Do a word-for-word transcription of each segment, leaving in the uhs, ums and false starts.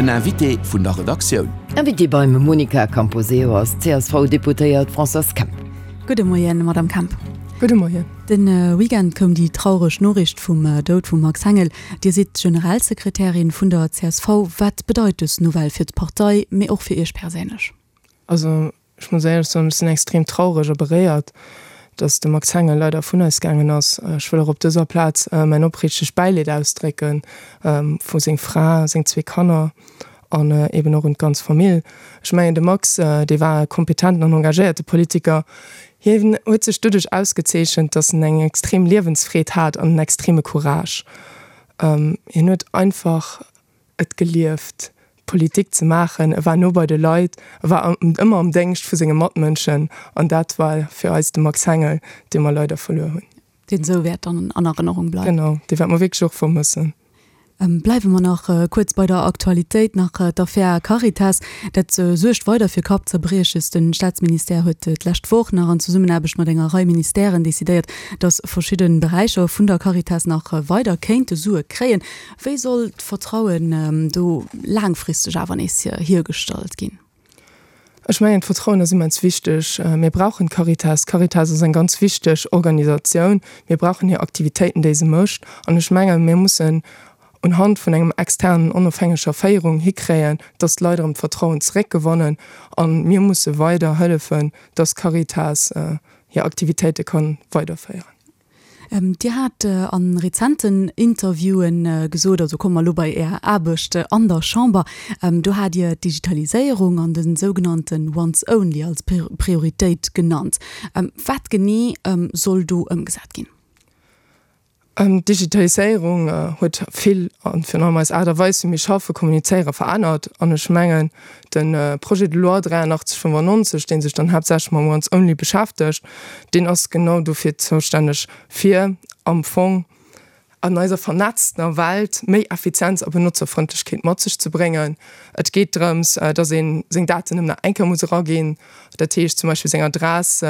Den Invité vun der Redaktioun. Invitée beim Monica Camposeo ass d'CSV-Deputéiert Françoise Kemp. Gudde Moien, Madame Kemp. Gudde Moien. De Weekend koum déi traureg Noriicht vum Doud vum Max Hengel. Dir sidd Generalsekretärin vun der csv. Wat bedeit dës Nouvelle fir d'Partei, mee och fir Iech perséinlech? Also ech muss éierlech soen, ech sinn extrem traureg a beréiert, dass de Max Hengel leider vun eis gaangen ass. Ech wëll och op dëser Plaz mäin opriichtegt Bäileed ausdrécke vu seng Fra, seng zwee Kanner an eben och un d'ganz Famill. Ech mengen, de Max, dee war e kompetenten an engagéierte Politiker. Hien huet sech doduerch ausgezeechent, dass en eng extrem Liewensfreed hat an en extreme Courage. Hien huet einfach et gelieft, Politik ze maachen. E war no bei de Leit, e war ëmmer am Déngscht vu senge Matmënschen an dat war fir eis de Max Hengel, dee mer leider verluer hunn. Deen esou wäert dann an Erënnerung bleiwen. Genau, dee wäerte mer wierklech och vermëssen. Bleiwe mer nach kuerz bei der Aktualitéit, nach d'Affär Caritas. Dat suergt weider fir Kappzerbrieches. De Staatsministère huet d'lescht Woch nach an Zesummenaarbecht mat enger Rei Ministèren decidéiert, datt verschidde Beräicher vun der Caritas nach weider kéinte Sue kréien. Wéi soll d'Vertrauen do laangfristeg awer nees hiergestallt ginn? Ech mengen, d'Vertrauen ass immens wichteg. Mir brauchen d'Caritas. D'Caritas ass eng ganz wichteg Organisatioun. Mir brauchen hir Aktivitéiten, déi se mécht. An ech mengen, mir mussen unhand vun engem externen, onofhängeger Féierung hikréien, dass d'Leit erëm d'Vertrauen zeréckgewannen. A mir musse weider hëllefen, dass d'Caritas hir Aktivitéite ka weiderféieren. Dir hat a rezenten Interviewen gesot, also komme mer elo bei Är Aarbecht an der Chamber, do hat Dir d'Digitaliséierung an de sougenannten Once Only als Prioritéit genannt. Wat genee soll do ëmgesat ginn? D'Digitaliséierung huet vill an virun allem eis Aart a Weis, wéi mir schaffen, kommunizéieren, verännert. An ech mengen, de Projet de loi dräianachtzeg fënnefannonzeg, dee sech dann haaptsächlech mam Once Only beschäftegt, deen ass genau dofir zoustänneg, fir am Fong an eiser vernetztener Welt méi Effizienz a Benotzerfrëndlechkeet mat sech ze bréngen. Et geet drëms, dass ee seng Daten nëmmen nach eng Kéier muss eraginn, dat heescht zum Beispill seng Adress,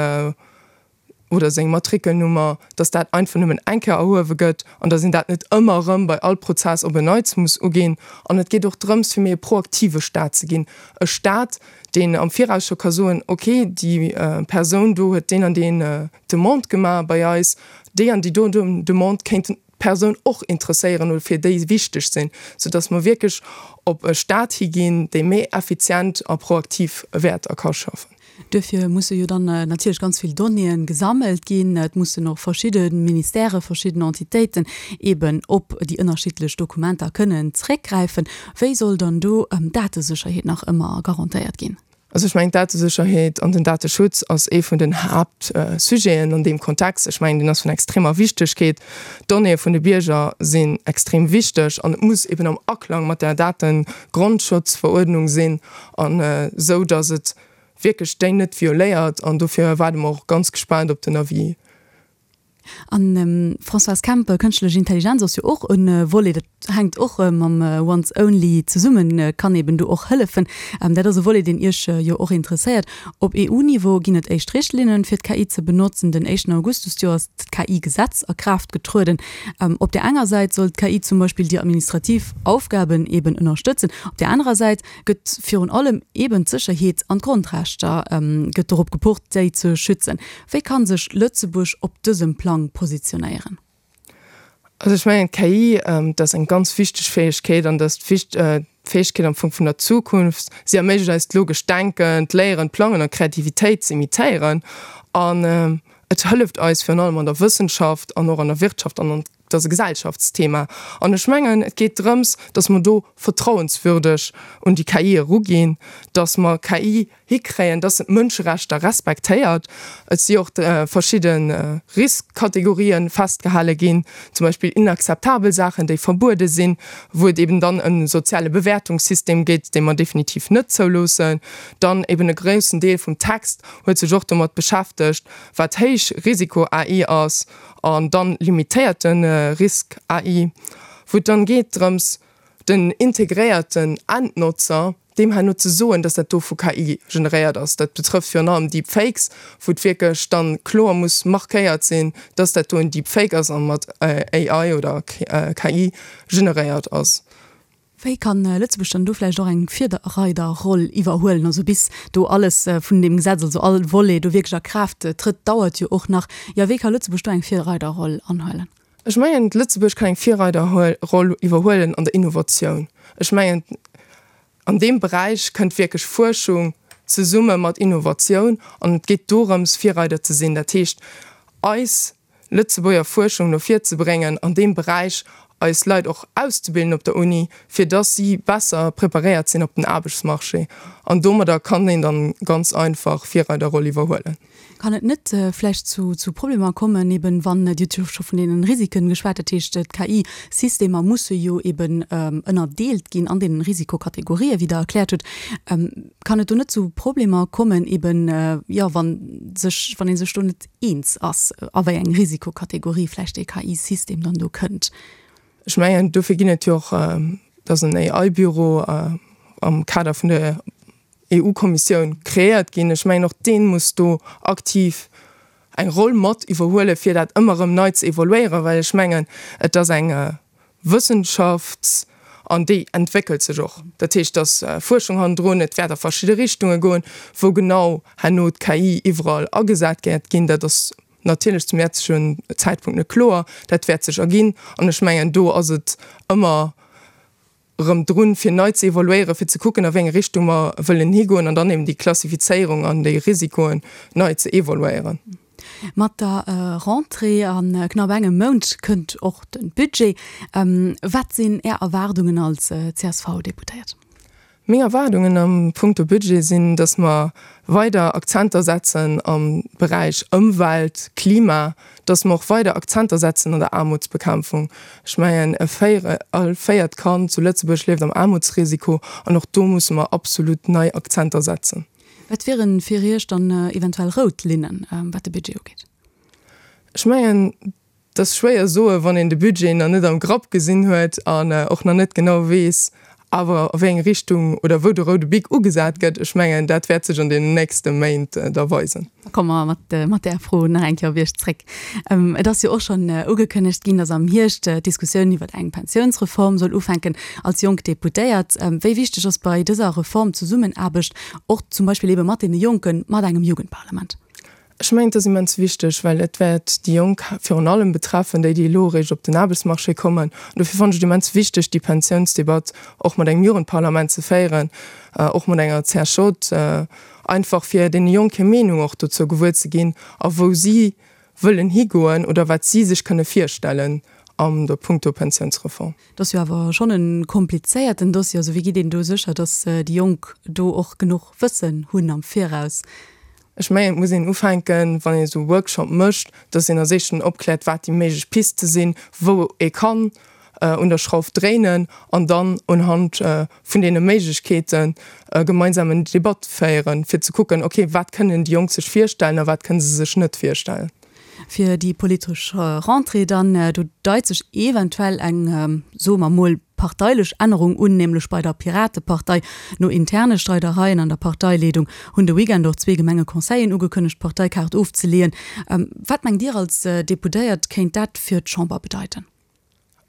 oder seng Matrikelnummer, dass dat einfach nëmmen eng Kéier erhuewe gëtt an dass een dat net ëmmer erëm bei all Prozess op en Neits muss uginn. An et geet och drëms, fir méi e proaktive Staat ze ginn, e Staat, deen am Viraus scho ka soen, okay, déi Persoun do huet deen an deen Demande gemaach bei eis, déi an déi do Demande kéint d'Persoun och interesséieren oder fir déi wichteg sinn, soudass mer wierklech op e Staat higinn, dee méi effizient a proaktiv wäert a ka schaffen. Duerfir musse jo dann natierlech ganz vill Donnéeën gesammelt ginn. Et mussen och verschidde Ministèrë, verschidden Entitéiten eeben op déi ënnerschiddlech Dokumenter kënnen zréckgräifen. Wéi soll dann do d'Datesécherheet nach ëmmer garantéiert ginn? Also ech mengen, d'Datesécherheet an den Dateschutz ass ee vun den Haaptsujeten an deem Kontext. Ech mengen, deen ass vun extremer Wichtegkeet. D'Donnéeë vun de Bierger sinn extrem wichteg an et muss eben am Aklang mat der Dategrundschutzveruerdnung sinn an esou, datt et wierklech déi net violéiert an dofir waarde mer och ganz gespaant op den Avis. An Françoise Kemp, Kënschtlech Intelligenz ass jo och e Volet, dat hänkt och mam Once Only zesummen, kann eben do och hëllefen. Dat ass e Volet, deen Iech jo och interesséiert. Op EU-Niveau ginn et éischt Richtlinnen, fir d'KI ze benotzen. Den éischten August dëst Joer ass d'KI-Gesetz a Kraaft getrueden. Op där enger Säit soll d'KI zum Beispill déi administrativ Aufgaben eben ënnerstëtzen. Op där anerer Säit gëtt virun allem eben d'Sécherheet an d'Grondrechter gëtt dorop gepocht, déi ze schützen. Wéi ka sech Lëtzebuerg op dësem Plang positionéieren? Also ech mengen, d'KI, dat ass eng ganz wichteg Fäegkeet an dat ass d'Fäegkeet am Fong vun der Zukunft. Si erméiglecht eis d'logescht Denken, d'Léieren, d'Plangen an d'Kreativitéit ze imitéieren. An et hëlleft eis virun allem an der Wëssenschaft an och an der Wirtschaft an an Et ass e Gesellschaftsthema. An ech mengen, et geet drëms, dass mer do vertrauenswürdeg un déi KI eruginn, dass mer KI hikréien, dass se d'Mënscherechter respektéiert. Et si och verschidde Riskkategorien festgehale ginn, zum Beispill inakzeptabel Saachen, déi verbuede sinn, wou et eben dann e soziale Bewäertungssystem gétt, dee mer definitiv net zouloossen. Dann eben e groussen Deel vum Text huet sech och domat beschäftegt, wat Héich-Risiko-AI ass an dann limitéierte Risk-AI, wou et dann geet drëms, den integréierten Endnotzer deem herno ze soen, dass dat do vu KI generéiert ass. Dat betrëfft virun allem Deepfakes, wou et wierklech dann kloer muss markéiert sinn, dass dat do en Deepfake ass a mat AI oder KI generéiert ass. Wéi kann Lëtzebuerg dann do vläicht och eng Virreiderroll iwwerhuelen? Also bis do alles vun deem Gesetz, also all Volet do wierklech a Kraaft trëtt, dauert jo och nach. Jo, wéi ka Lëtzebuerg do eng Virreiderroll anhuelen? Ech mengen, Lëtzebuerg kann eng Virreiderroll iwwerhuelen an der Innovatioun. Ech mengen, an deem Beräich kënnt wierklech Fuerschung zesumme mat Innovatioun an et geet dorëms, Virreider ze sinn. Dat heescht, eis Lëtzebuerger Fuerschung no vir ze bréngen an deem Beräich, eis Leit och auszebilden op der Uni, fir dass si besser preparéiert sinn op den Aarbechtsmarché. An domadder kann een dann ganz einfach Virreiderroll iwwerhuelen. Kann et net vläicht zu zu Problemer kommen, eben wann, Dir hutt jo scho vun deenen Risiken geschwat, dat heescht d'K I-Systemer musse jo eben ënnerdeelt ginn an deenen Risikokategorien, wéi Der erkläert hutt. Kann et do net zu Problemer kommen, eben, jo, wa sech, wann ee sech do net eens ass, a wéi eng Risikokategorie vläicht dee K I-System dann do kënnt? Ech mengen, dofir ginn et jo och, dass en A I-Büro am Kader vun der E U-Kommissioun kreéiert ginn. Ech mengen, och dee muss do aktiv eng Roll mat iwwerhuelen, fir dat ëmmer erëm nei ze evoluéieren, well ech mengen, et ass eng Wëssenschaft an déi entwéckelt sech och. Dat heescht, et ass Fuerschung hannendrun, et wäert a verschidde Richtunge goen. Wou genau herno d'K I iwwerall agesat wäert ginn, dat ass natierlech zum jetzegen Zäitpunkt net kloer. Dat wäert sech erginn an ech mengen, do ass et ëmmer erëm drun, fir nei ze evoluéieren, fir ze kucken, a wéi eng Richtung mer wëllen higoen an dann eben déi Klassifizéierung an déi Risikoen nei ze evoluéieren. Mat der Rentrée a knapp engem Mount kënnt och de Budget. Wat sinn Är Erwaardungen als C S V-Deputéiert? Meng Erwaardungen am punkto Budget sinn, dass mer weider Akzenter setzen am Beräich Ëmwelt, Klima, dass mer och weider Akzenter setzen an der Aarmutsbekämpfung. Ech mengen, e véiere, all véiert Kand zu Lëtzebuerg lieft am Aarmutsrisiko an och do musse mer absolut nei Akzenter setzen. Wat wieren fir Iech dann eventuell rout Linnen, wat de Budget ugeet? Ech mengen, et ass schwéier soen, wann een de Budget nach net am Grapp gesinn huet an och nach net genau weess, awer a wéi eng Richtung oder wou de roude Bic ugesat gëtt. Ech mengen, dat wäert sech an deenen nächste Méint da weisen. Da komme mer mat, mat där Fro nach eng Kéier op Iech zréck. Et ass jo och schonn ugekënnegt ginn, datt am Hierscht d'Diskussioun iwwer eng Pensiounsreform soll ufänken. Als jonk Deputéiert, wéi wichteg ass bei dëser Reform d'Zesummenaarbecht och zum Beispill ebe mat deene Jonken, mat engem Jugendparlament? Ech mengen, et ass immens wichteg, well et wäert déi Jonk virun allem betreffen, déi, déi elo eréischt op den Aarbechtsmarché kommen. An dofir fannen ech et immens wichteg, déi Pensiounsdebatt och mat engem Jugendparlament ze féieren, och mat enger C S J, einfach fir deene Jonk hir Meenung och dozou gewuer ze ginn a wou si wëllen higoen oder wat si sech kënne virstellen an der punkto Pensiounsreform. Dat ass jo awer schonn e komplizéierten Dossier. Also wéi gitt een do sécher, datt déi Jonk do och genuch Wëssen hunn am Viraus? Ech mengen, et muss een ufänken, wann een esou e Workshop mécht, dass een als éischten opkläert, wat déi méiglech Piste sinn, wou ee kann un der Schrauf dréinen an dann unhand vun deene Méiglechkeeten e gemeinsamen Debatt féieren, fir ze kucken, okay, wat kënnen déi Jonk sech virstellen a wat kënne se sech net virstellen. Fir déi politesch Rentrée dann, do deit sech eventuell eng, soe mer mol, parteilech Ännerung un, nämlech bei der Piratepartei. No interne Streidereien an der Parteileedung hunn de Weekend och zwee Gemengeconseillen ugekënnegt, d'Parteikaart ofzeleeën. Wat mengt Dir als Deputéiert, kéint dat fir d'Chamber bedeiten?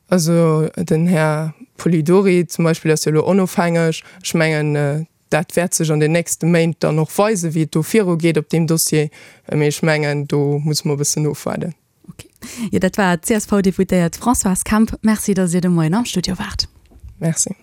Also den Här Polidori zum Beispill ass jo elo onofhängeg. Ech mengen, dat wäert sech an den nächste Méint dann och weisen, wéi et do virugeet op deem Dossier. Mee ech mengen, do musse mer e bëssen ofwaarden. Ok. Jo, dat war d'C S V-Deputéiert Françoise Kemp. Merci, datt Dir de Moien am Studio waart. Merci.